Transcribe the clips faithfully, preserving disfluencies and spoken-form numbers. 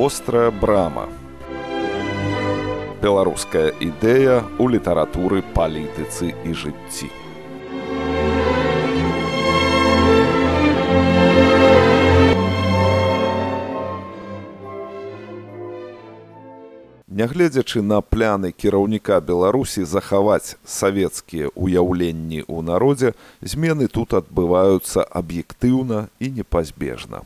Вострая брама. Беларуская ідэя ў літаратуры, палітыцы і жыцці. Нягледзячы на пляны кіраўніка Беларусі захаваць савецкія ўяўленні ў народзе, змены тут адбываюцца аб'ектыўна і непазбежна.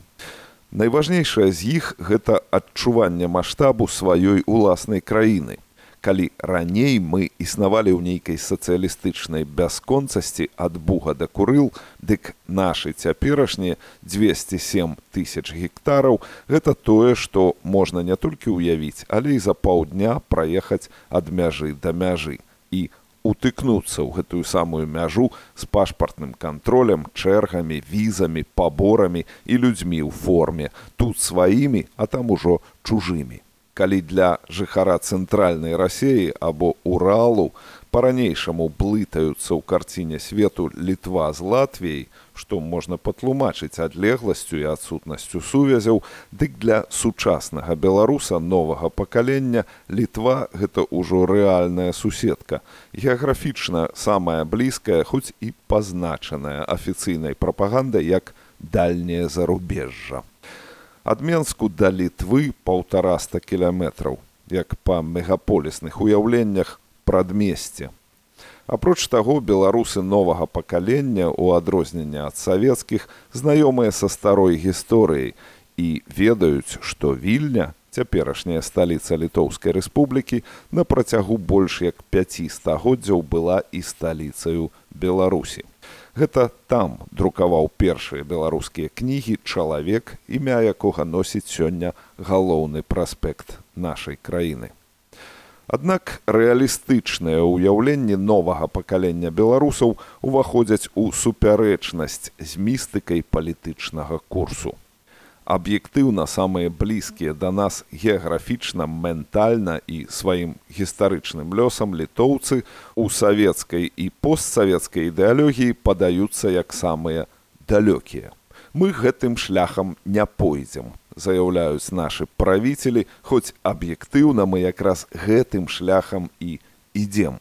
Найважнейшае з іх – гэта адчуванне маштабу сваёй уласнай краіны. Калі раней мы існавалі ў нейкай сацыялістычнай бясконцасці ад Буга да Курыл, дык нашы цяперашнія дзвесце сем тысяч гектараў – гэта тое, што можна не толькі ўявіць, але і за паўдня праехаць ад мяжы да мяжы і утыкнуцца ў гэтую самую мяжу з пашпартным кантролем, чэргамі, візамі, паборамі і людзьмі ў форме, тут сваімі, а там ужо чужымі. Калі для жыхара цэнтральнай Расіі або Уралу па-ранейшаму блытаюцца ў карціне свету Літва з Латвіяй, што можна патлумачыць адлегласцю і адсутнасцю сувязяў, дык для сучаснага беларуса новага пакалення Літва – гэта ўжо рэальная суседка, геаграфічна самая блізкая, хоць і пазначаная афіцыйнай прапагандай як дальняе зарубежжа. Ад Менску да Літвы паўтараста кіламетраў, як па мегаполісных уяўленнях прадмесце. Апроч таго, беларусы новага пакалення, у адрозненне ад савецкіх, знаёмыя са старой гісторыяй і ведаюць, што Вільня, цяперашняя сталіца Літоўскай рэспублікі, на працягу больш як пяці стагоддзяў была і сталіцаю Беларусі. Гэта там друкаваў першыя беларускія кнігі чалавек, імя якога носіць сёння галоўны праспект нашай краіны. Аднак рэалістычныя ўяўленні новага пакалення беларусаў уваходзяць у супярэчнасць з містыкай палітычнага курсу. Аб'ектыўна самыя блізкія да нас геаграфічна, ментальна і сваім гістарычным лёсам літоўцы у савецкай і постсавецкай ідэалогіі падаюцца як самыя далёкія. Мы гэтым шляхам не пойдзем, заяўляюць нашы правіцелі, хоць аб'ектыўна мы якраз гэтым шляхам і ідзем.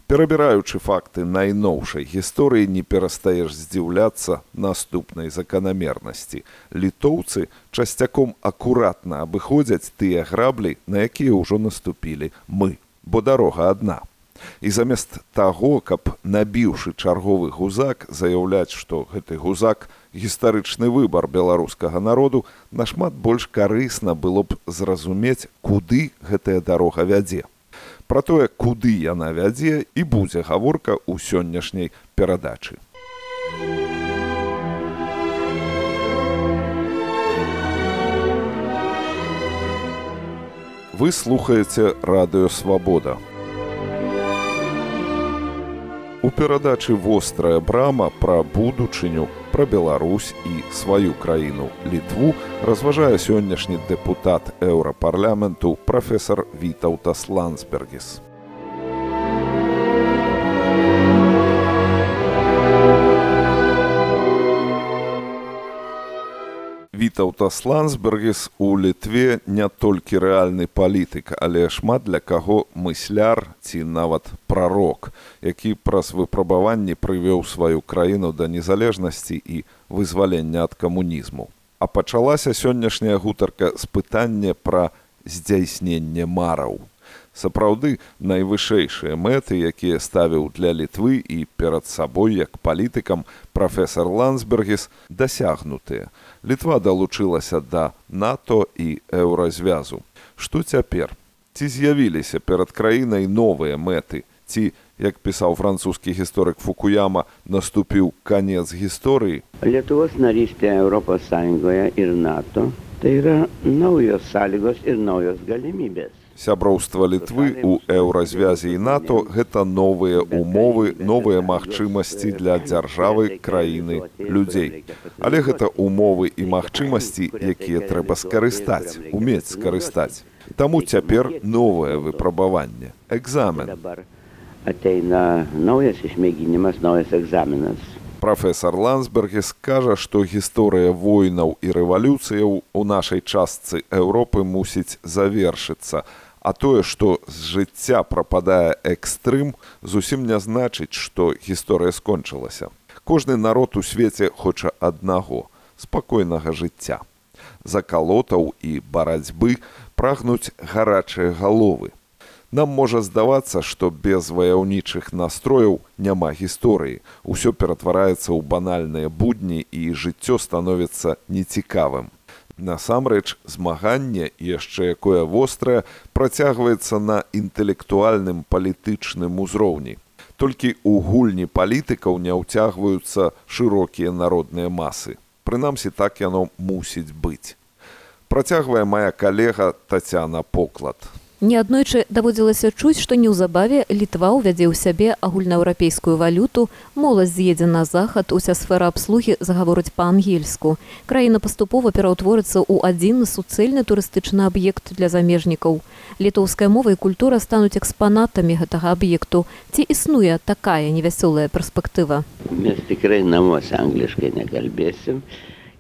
Перабіраючы факты найноўшай гісторыі, не перастаеш здзіўляцца наступнай заканамернасці. Літоўцы часцяком акуратна абыходзяць тыя граблі, на якія ўжо наступілі мы, бо дарога адна. І замест таго, каб, набіўшы чарговы гузак, заяўляць, што гэты гузак – гістарычны выбар беларускага народу, нашмат больш карысна было б зразумець, куды гэтая дарога вядзе. Пра тое, куды яна вядзе, і будзе гаворка ў сённяшняй перадачы. Вы слухаеце Радыё Свабода. У перадачы «Вострая брама» пра будучыню, пра Беларусь і сваю краіну Літву разважае сённяшні дэпутат Еўрапарламенту прафесар Вітаўтас Ландсбергіс. Вітаўтас Ландсбергіс у Літве не толькі рэальны палітык, але шмат для каго мысляр ці нават прарок, які праз выпрабаванні прывёў сваю краіну да незалежнасці і вызвалення ад камунізму. А пачалася сённяшняя гутарка з пытання пра здзяйсненне мараў. Сапраўды, найвышэйшыя мэты, якія ставіў для Літвы і перад сабой як палітыкам прафесар Ландсбергіс, дасягнутыя. Літва далучылася да НАТО і Еўразвязу. Што цяпер? Ці з'явіліся перад краінай новыя мэты? Ці, як пісаў французскі гісторык Фукуяма, наступіў канец гісторыі? Lietuvos narystė Europos Sąjungoje ir NATO tai yra naujos sąlygos ir naujos galimybės. Сяброўства Літвы ў Еўразвязе і НАТО – гэта новыя умовы, новыя магчымасці для дзяржавы, краіны, людзей. Але гэта умовы і магчымасці, якія трэба скарыстаць, умець скарыстаць. Таму цяпер новае выпрабаванне – экзамен. ateina naujas išmėginimas, naujas egzaminas. Прафесор Ландсбергіс кажа, што гісторыя войнаў і рэвалюцыяў у нашай частцы Еўропы мусіць завершыцца, а тое, што з жыцця прападае экстрым, зусім не значыць, што гісторыя скончылася. Кожны народ у свеце хоча аднаго – спакойнага жыцця. Закалотаў і барацьбы прагнуць гарачыя галовы. Нам можа здавацца, што без ваяўнічых настрояў няма гісторыі. Усё ператвараецца ў банальныя будні і жыццё становіцца нецікавым. Насамрэч, змаганне, яшчэ якое вострае, працягваецца на інтэлектуальным палітычным узроўні. Толькі ў гульні палітыкаў не ўцягваюцца шырокія народныя масы. Прынамсі, так яно мусіць быць. Працягвае мая калега Тацяна Поклад. Неаднойчы даводзілася чуць, што неўзабаве Літва ўвядзе ў сябе агульнаеўрапейскую валюту, моладзь з'едзе на захад, уся сфера абслугі загаворыць па-ангельску. Краіна паступова пераўтворыцца ў адзіны суцэльны турыстычны аб'ект для замежнікаў. Літоўская мова і культура стануць экспанатамі гэтага аб'екту. Ці існуе такая невясёлая перспектыва? Mes tikrai namuose angliškai nekalbėsim.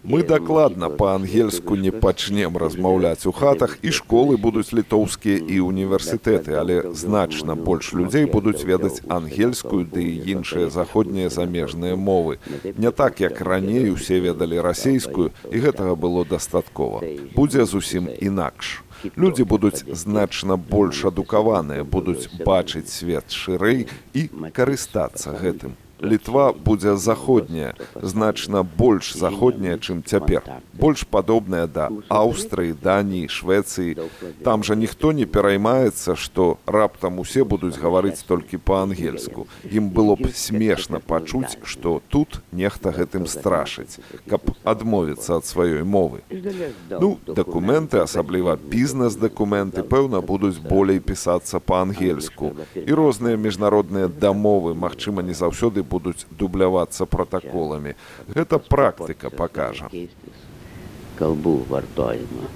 Мы дакладна па-ангельску не пачнем размаўляць у хатах, і школы будуць літоўскія і універсітэты, але значна больш людзей будуць ведаць ангельскую ды і іншыя заходнія замежныя мовы. Не так, як раней усе ведалі расейскую, і гэтага было дастаткова. Будзе зусім інакш. Людзі будуць значна больш адукаваныя, будуць бачыць свет шырэй і карыстацца гэтым. Літва будзе заходняя, значна больш заходняя, чым цяпер. Больш падобная да Аўстрыі, Даніі, Швецыі. Там жа ніхто не пераймаецца, што раптам усе будуць гаварыць толькі па-ангельску. Ім было б смешна пачуць, што тут нехта гэтым страшыць, каб адмовіцца ад сваёй мовы. Ну, дакументы, асабліва бізнес-дакументы, пэўна, будуць болей пісацца па-ангельску. І розныя міжнародныя дамовы, магчыма, не заўсёды будуць дублявацца пратаколамі. Гэта практыка пакажа. Kalbų vartojimą.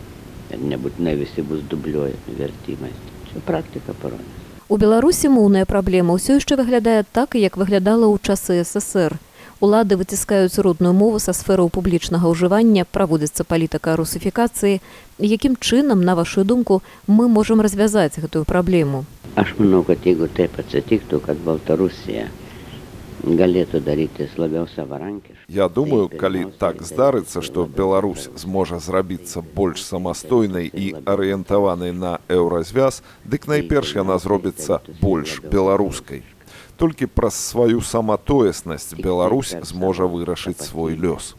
Ir nebūtinai visi bus dubliuojami vertimais. Čia практика parodys. У Беларусі моўная праблема ўсё яшчэ выглядае так, як выглядала ў часы эс эс ер. Улады выціскаюць родную мову са сфераў публічнага ўжывання, праводзіцца палітыка русіфікацыі. Якім чынам, на вашу думку, мы можам развязаць гэтую праблему? Aš manau, kad jeigu taip atsitiktų, kad Baltarusija galėtų daryti labiau savarankiškai. Я думаю, калі так здарыцца, што Беларусь зможа зрабіцца больш самастойнай і арыентаванай на еўразвяз, дык найперш яна зробіцца больш беларускай. Толькі праз сваю саматоеснасць Беларусь зможа вырашыць свой лёс.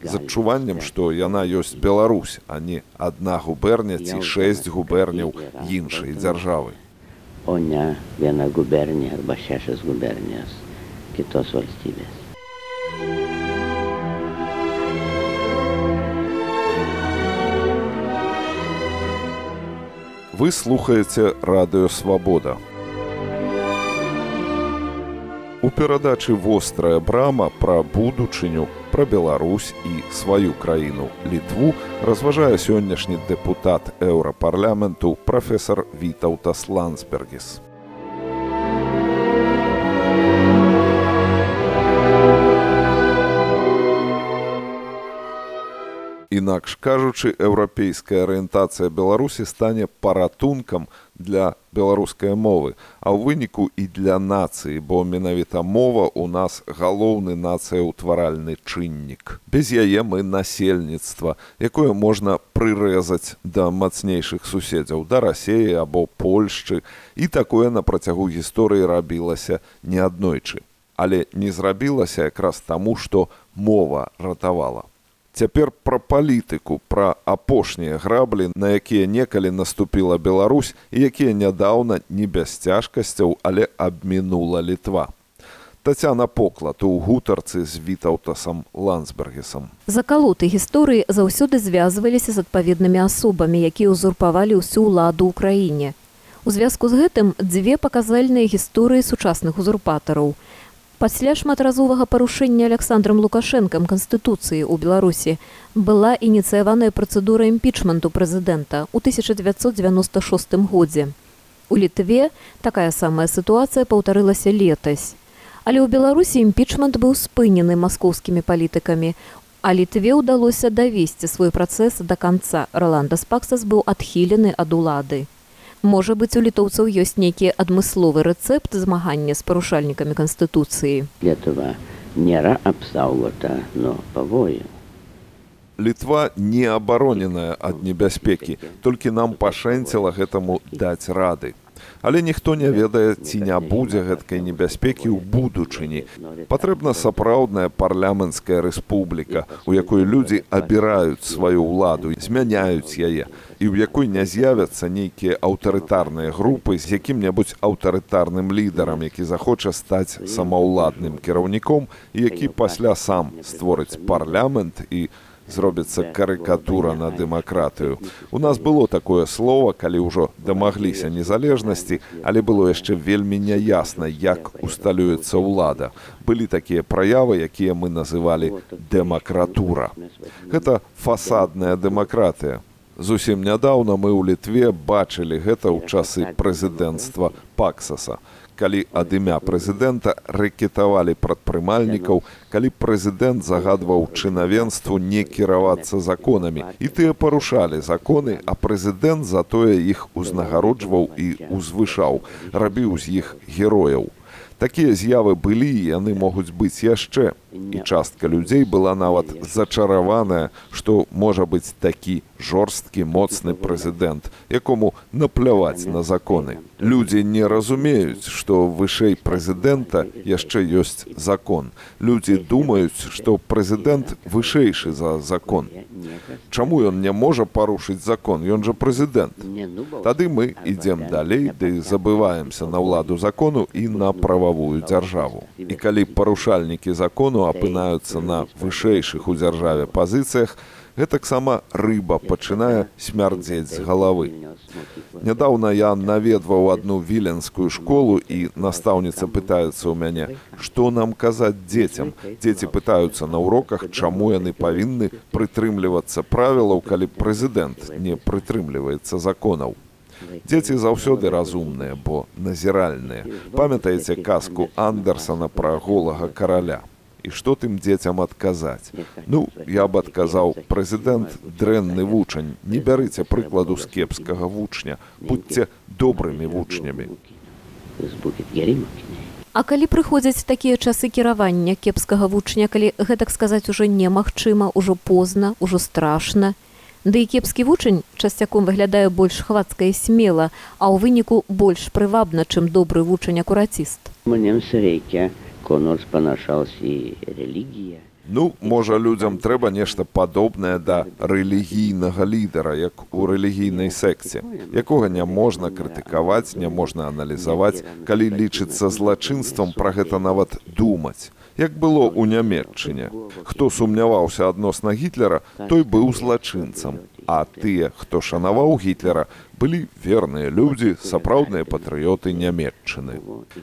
З адчуваннем, што яна ёсць Беларусь, а не адна губерня ці шэсць губерняў іншай дзяржавы. O ne viena gubernija arba šešios gubernijos kitos valstybės. Вы слухаеце Радыё Свабода. У перадачы «Вострая брама» пра будучыню, пра Беларусь і сваю краіну Літву разважае сённяшні дэпутат Еўрапарламенту прафесар Вітаўтас Ландсбергіс. Інакш кажучы, еўрапейская арыентацыя Беларусі стане паратункам для беларускай мовы, а ў выніку і для нацыі, бо менавіта мова ў нас галоўны нацыяўтваральны чыннік. Без яе мы насельніцтва, якое можна прырэзаць да мацнейшых суседзяў, да Расеі або Польшчы, і такое на працягу гісторыі рабілася неаднойчы. Але не зрабілася якраз таму, што мова ратавала. Цяпер пра палітыку, пра апошнія граблі, на якія некалі наступіла Беларусь і якія нядаўна не без цяжкасцяў, але абмінула Літва. Тацяна Поклад у гутарцы з Вітаўтасам Ландсбергісам. Закалоты гісторыі заўсёды звязваліся з адпаведнымі асобамі, якія ўзурпавалі ўсю ўладу ў краіне. У звязку з гэтым дзве паказальныя гісторыі сучасных узурпатараў. Пасля шматразовага парушэння Александрам Лукашэнкам Канстытуцыі ў Беларусі была ініцыяваная працэдура імпічменту прэзідэнта ў тысяча дзевяцьсот дзевяноста шостым годзе. У Літве такая самая сітуацыя паўтарылася летась. Але ў Беларусі імпічмент быў спынены маскоўскімі палітыкамі. А Літве ўдалося давесці свой працэс да канца. Роландас Паксас быў адхілены ад улады. Можа быць, у літоўцаў ёсць нейкі адмысловы рэцэпт змагання з парушальнікамі Канстытуцыі. Lietuva nėra apsaugota nuo pavojų. Літва не абароненая ад небяспекі, толькі нам пашэнціла гэтаму даць рады. Але ніхто не ведае, ці не будзе гэткай небяспекі ў будучыні. Патрэбна сапраўдная парламенцкая рэспубліка, у якой людзі абіраюць сваю ўладу, змяняюць яе, і ў якой не з'явяцца нейкія аўтарытарныя групы з якім-небудзь аўтарытарным лідарам, які захоча стаць самаўладным кіраўніком і які пасля сам створыць парламент і зробіцца карыкатура на дэмакратыю. У нас было такое слово, калі ўжо дамагліся незалежнасці, але было яшчэ вельмі няясна, як усталюецца ўлада. Былі такія праявы, якія мы называлі дэмакратура. Гэта фасадная дэмакратыя. Зусім нядаўна мы ў Літве бачылі гэта ў часы прэзідэнцтва Паксаса. Калі ад імя прэзідэнта рэкетавалі прадпрымальнікаў, калі прэзідэнт загадваў чынавенству не кіравацца законамі. І тыя парушалі законы, а прэзідэнт затое іх узнагароджваў і узвышаў, рабіў з іх герояў. Такія з'явы былі, і яны могуць быць яшчэ. І частка людзей была нават зачараваная, што можа быць такі жорсткі, моцны прэзідэнт, якому напляваць на законы. Людзі не разумеюць, што вышэй прэзідэнта яшчэ ёсць закон. Людзі думаюць, што прэзідэнт вышэйшы за закон. Чаму ён не можа парушыць закон? Ён жа прэзідэнт. Тады мы ідзем далей, ды забываемся на ўладу закону і на прававую дзяржаву. І калі парушальнікі закону апынаюцца на вышэйшых у дзяржаве пазіцыях, гэтаксама рыба пачынае смярдзець з галавы. Нядаўна я наведваў адну віленскую школу, і настаўніца пытаецца ў мяне, што нам казаць дзецям. Дзеці пытаюцца на уроках, чаму яны павінны прытрымлівацца правілаў, калі прэзідэнт не прытрымліваецца законаў. Дзеці заўсёды разумныя, бо назіральныя. Памятаеце казку Андерсана пра голага караля? І што тым дзецям адказаць? Ну, я б адказаў, прэзідэнт дрэнны вучань, не бярыце прыкладу з кепскага вучня, будьце добрымі вучнямі. А калі прыходзяць такія часы кіравання кепскага вучня, калі гэтак сказаць ужо немагчыма, ужо позна, ужо страшна, ды і кепскі вучань часцяком выглядае больш хвацка і смела, а ў выніку больш прывабна, чым добры вучань-акураціст. Mums reikia ko nors panašaus į religiją. Ну, можа, людзям трэба нешта падобнае да рэлігійнага лідара, як у рэлігійнай секце, якога не можна крытыкаваць, не можна аналізаваць, калі лічыцца злачынствам пра гэта нават думаць. Як было ў Нямецчыне. Хто сумняваўся адносна Гітлера, той быў злачынцам. А тыя, хто шанаваў Гітлера, былі верныя людзі, сапраўдныя патрыёты Нямецчыны.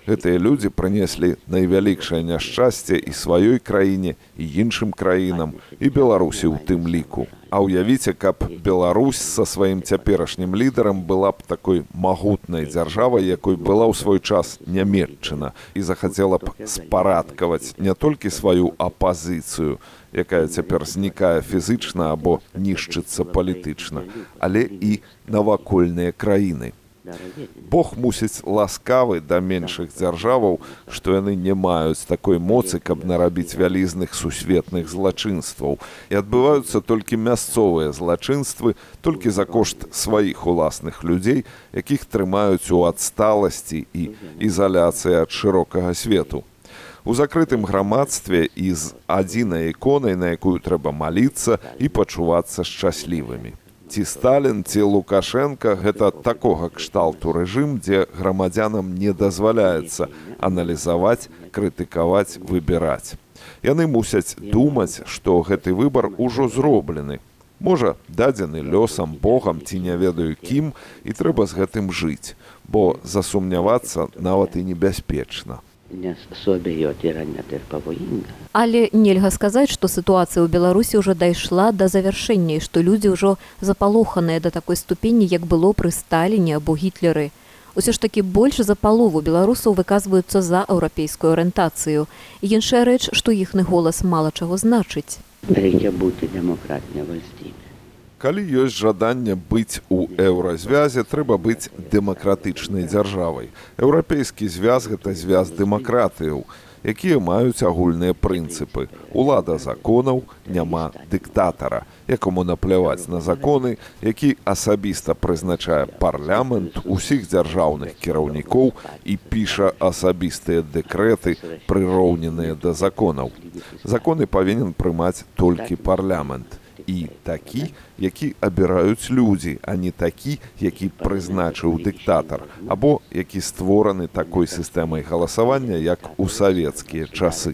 Гэтыя людзі прынеслі найвялікшае няшчасце і сваёй краіне, і іншым краінам, і Беларусі ў тым ліку. А ўявіце, каб Беларусь са сваім цяперашнім лідарам была б такой магутнай дзяржавай, якой была ў свой час Нямецчына, і захацела б спарадкаваць не толькі сваю апазіцыю, якая цяпер знікае фізычна або нішчыцца палітычна, але і навакольныя краіны. Бог мусіць ласкавы да меншых дзяржаваў, што яны не маюць такой моцы, каб нарабіць вялізных сусветных злачынстваў. І адбываюцца толькі мясцовыя злачынствы, толькі за кошт сваіх уласных людзей, якіх трымаюць у адсталасці і ізаляцыі ад шырокага свету. У закрытым грамадстве і з адзінай іконай, на якую трэба маліцца і пачувацца шчаслівымі. Ці Сталін, ці Лукашенка – гэта такога кшталту рэжым, дзе грамадзянам не дазваляецца аналізаваць, крытыкаваць, выбіраць. Яны мусяць думаць, што гэты выбар ужо зроблены. Можа, дадзены лёсам, Богам ці не ведаю кім, і трэба з гэтым жыць, бо засумнявацца нават і небяспечна. Але нельга сказаць, што сітуацыя ў Беларусі ўжо дайшла да завяршэння, і што людзі ўжо запалоханыя да такой ступені, як было пры Сталіне або Гітлеры. Усё ж такі больш за палову беларусаў выказваюцца за еўрапейскую арыентацыю. Іншая рэч, што іхны голас мала чаго значыць. Речі бути демократній вальстіві. Калі ёсць жаданне быць у еўразвязе, трэба быць дэмакратычнай дзяржавай. Еўрапейскі звяз – гэта звяз дэмакратыяў, якія маюць агульныя прынцыпы. Улада законаў, няма дыктатара, якому напляваць на законы, які асабіста прызначае парламент усіх дзяржаўных кіраўнікоў і піша асабістыя дэкрэты, прыроўненыя да законаў. Законы павінен прымаць толькі парламент. І такі, які абіраюць людзі, а не такі, які прызначыў дыктатар, або які створаны такой сістэмай галасавання, як у савецкія часы.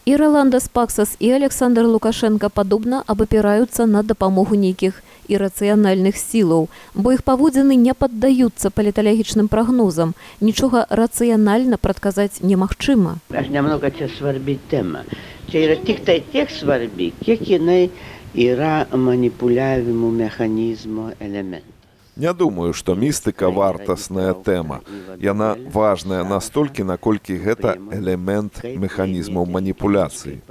І Роландас Паксас, і Александр Лукашенко падобна абапіраюцца на дапамогу нейкіх ірацыянальных сілаў, бо іх паводзіны не паддаюцца паліталагічным прагнозам. Нічога рацыянальна прадказаць немагчыма. Аж немного це сварбить тема. Це yra tik tai tiek svarbi, kiek jinai yra manipuliavimo mechanizmo elementas. Не думаю, што містыка вартасная тэма. Яна важная настолькі, наколькі гэта элемент механізмаў маніпуляцыі.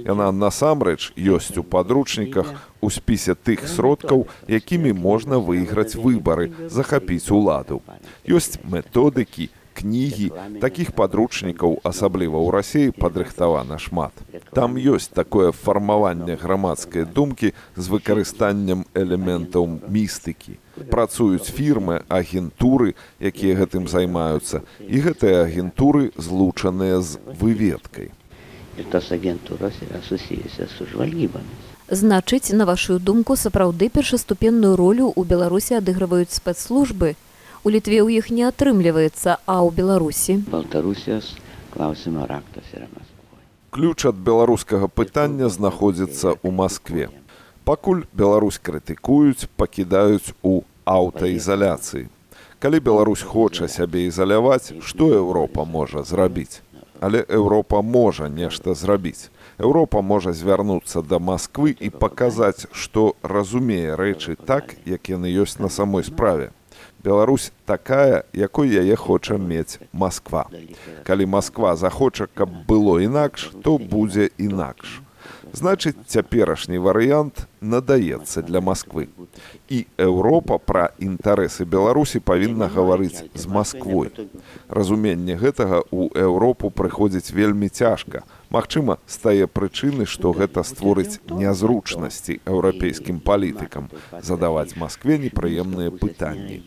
Яна насамрэч ёсць у падручніках у спісе тых сродкаў, якімі можна выйграць выбары, захапіць уладу. Ёсць методыкі, кнігі, такіх падручнікаў, асабліва ў Расіі, падрыхтавана шмат. Там ёсць такое фармаванне грамадскай думкі з выкарыстаннем элементаў містыкі. Працуюць фірмы, агентуры, якія гэтым займаюцца, і гэтыя агентуры злучаныя з выведкай. Значыць, на вашу думку, сапраўды першаступенную ролю ў Беларусі адыгрываюць спецслужбы? У Літве ў іх не атрымліваецца, а ў Беларусі? Ключ ад беларускага пытання знаходзіцца ў Маскве. Пакуль Беларусь крытыкуюць, пакідаюць у аўтаізаляцыі. Калі Беларусь хоча сябе ізаляваць, што Еўропа можа зрабіць? Але Еўропа можа нешта зрабіць. Еўропа можа звярнуцца да Масквы і паказаць, што разумее рэчы так, як яны ёсць на самой справе. Беларусь такая, якой яе хоча мець Масква. Калі Масква захоча, каб было інакш, то будзе інакш. Значыць, цяперашні варыянт надаецца для Масквы. І Еўропа пра інтарэсы Беларусі павінна гаварыць з Масквой. Разуменне гэтага ў Еўропу прыходзіць вельмі цяжка. Магчыма, з тае прычыны, што гэта створыць нязручнасці еўрапейскім палітыкам, задаваць Маскве непрыемныя пытанні.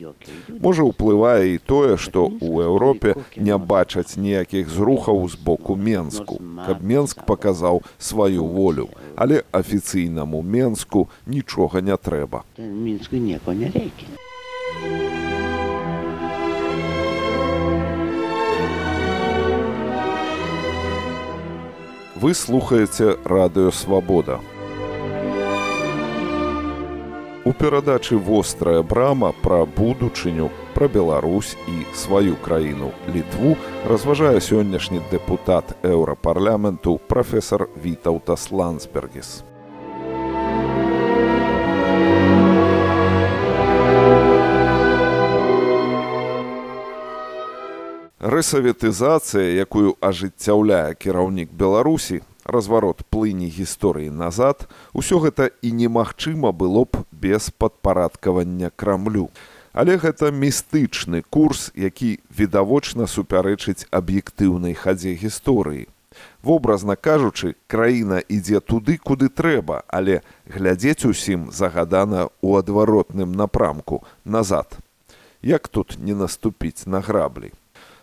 Можа, уплывае і тое, што ў Еўропе не бачаць ніякіх зрухаў з боку Менску, каб Менск паказаў сваю волю. Але афіцыйнаму Менску нічога не трэба. Мінску ніякого не рейки. Вы слухаеце Радыё Свабода. У перадачы «Вострая брама» пра будучыню, пра Беларусь і сваю краіну Літву разважае сённяшні дэпутат Еўрапарламенту прафесар Вітаўтас Ландсбергіс. Рэсаветызацыя, якую ажыццяўляе кіраўнік Беларусі, разварот плыні гісторыі назад, усё гэта і немагчыма было б без падпарадкавання Крамлю. Але гэта містычны курс, які відавочна супярэчыць аб'ектыўнай хадзе гісторыі. Вобразна кажучы, краіна ідзе туды, куды трэба, але глядзець усім загадана ў адваротным напрамку, назад. Як тут не наступіць на граблі?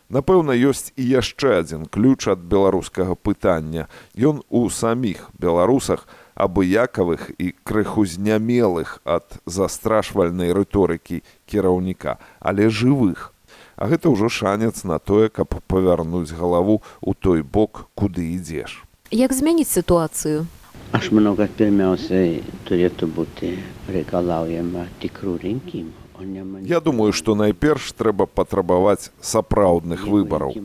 Напэўна, ёсць і яшчэ адзін ключ ад беларускага пытання. Ён у саміх беларусах, абыякавых і крыху знямелых ад застрашвальнай рыторыкі кіраўніка, але жывых. А гэта ўжо шанец на тое, каб павярнуць галаву ў той бок, куды ідзеш. Як змяніць сітуацыю? Аж много пермяўся тур'яту бути рекалаўяма тікру ринкім. Я думаю, што найперш трэба патрабаваць сапраўдных выбараў.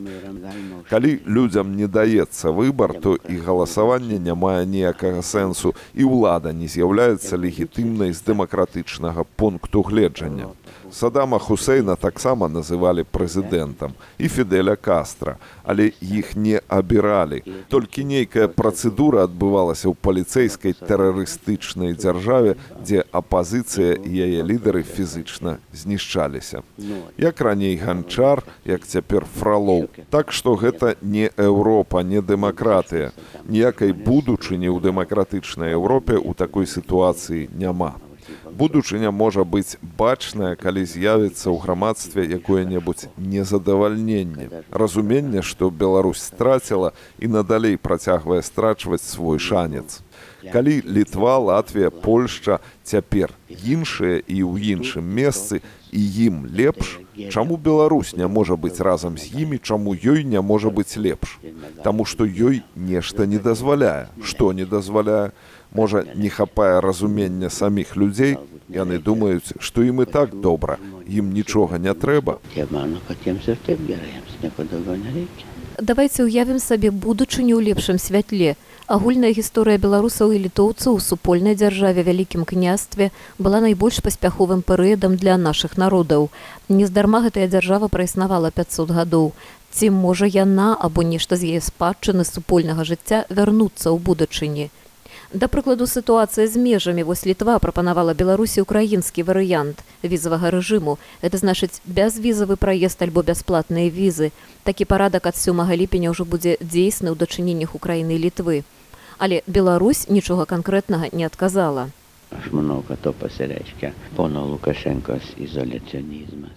Калі людзям не даецца выбар, то і галасаванне не мае ніякага сэнсу, і ўлада не з'яўляецца легітымнай з дэмакратычнага пункту гледжання. Садама Хусейна таксама называлі прэзідэнтам і Фідэля Кастра, але іх не абіралі. Толькі нейкая працэдура адбывалася ў паліцэйскай тэрарыстычнай дзяржаве, дзе апазіцыя і яе лідары фізычна знішчаліся. Як раней Ганчар, як цяпер Фролоў. Так што гэта не Еўропа, не дэмакратыя. Ніякай будучыні ў дэмакратычнай Еўропе ў такой сітуацыі няма. Будучыня можа быць бачная, калі з'явіцца ў грамадстве якое-небудзь незадавальненне, разуменне, што Беларусь страціла і надалей працягвае страчваць свой шанец. Калі Літва, Латвія, Польшча цяпер іншыя і ў іншым месцы, і ім лепш, чаму Беларусь не можа быць разам з імі, чаму ёй не можа быць лепш? Таму што ёй нешта не дазваляе. Што не дазваляе? Можа, не хапае разумення саміх людзей, яны думаюць, што ім і так добра, ім нічога не трэба. Давайце ўявім сабе будучыню ў лепшым святле. Агульная гісторыя беларусаў і літоўцаў у супольнай дзяржаве Вялікім княстве была найбольш паспяховым перыядам для нашых народаў. Нездарма гэтая дзяржава праіснавала пяцьсот гадоў. Ці можа яна або нешта з яе спадчыны супольнага жыцця вярнуцца ў будучыні? Да прыкладу, сітуацыя з межамі. Вось Літва прапанавала Беларусі украінскі варыянт візавага рэжыму. Гэта значыць бязвізавы праезд альбо бясплатныя візы. Такі парадак ад сёмага ліпеня ўжо будзе дзейсны ў дачыненнях Украіны і Літвы. Але Беларусь нічога канкрэтнага не адказала. Много то пасярэчка пана Лукашенка з ізоляцыянізма.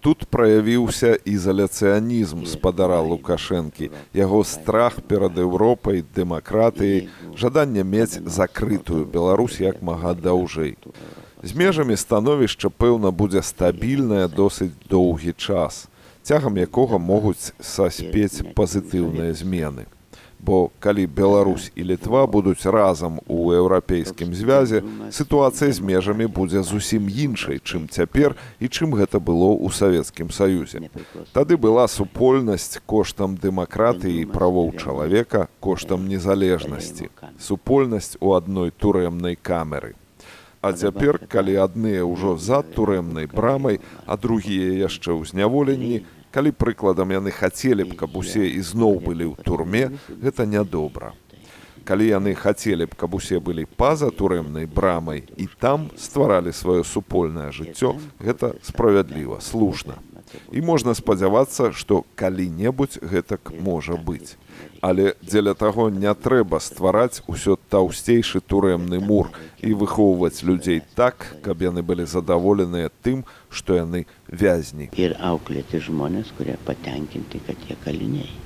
Тут праявіўся ізаляцыянізм спадара Лукашэнкі, яго страх перад Еўропай, дэмакратыяй, жаданне мець закрытую Беларусь як мага даўжэй. З межамі становішча, пэўна, будзе стабільнае досыць доўгі час, цягам якога могуць саспець пазітыўныя змены. Бо калі Беларусь і Літва будуць разам у еўрапейскім звязе, сітуацыя з межамі будзе зусім іншай, чым цяпер і чым гэта было ў Савецкім Саюзе. Тады была супольнасць коштам дэмакратыі і правоў чалавека, коштам незалежнасці. Супольнасць у адной турэмнай камеры. А цяпер, калі адныя ўжо за турэмнай брамай, а другія яшчэ ў зняволенні, калі прыкладам яны хацелі б, каб усе ізноў былі ў турме, гэта нядобра. Калі яны хацелі б, каб усе былі па-за турэмнай брамай і там стваралі сваё супольнае жыццё, гэта справядліва, слушна. І можна спадзявацца, што калі-небудзь гэтак можа быць. Але дзеля таго не трэба ствараць усё таўсцейшы турэмны мур і выхоўваць людзей так, каб яны былі задаволеныя тым, што яны вязні. Ir auklėti žmonės, kurie patenkinti, kad jie kaliniai.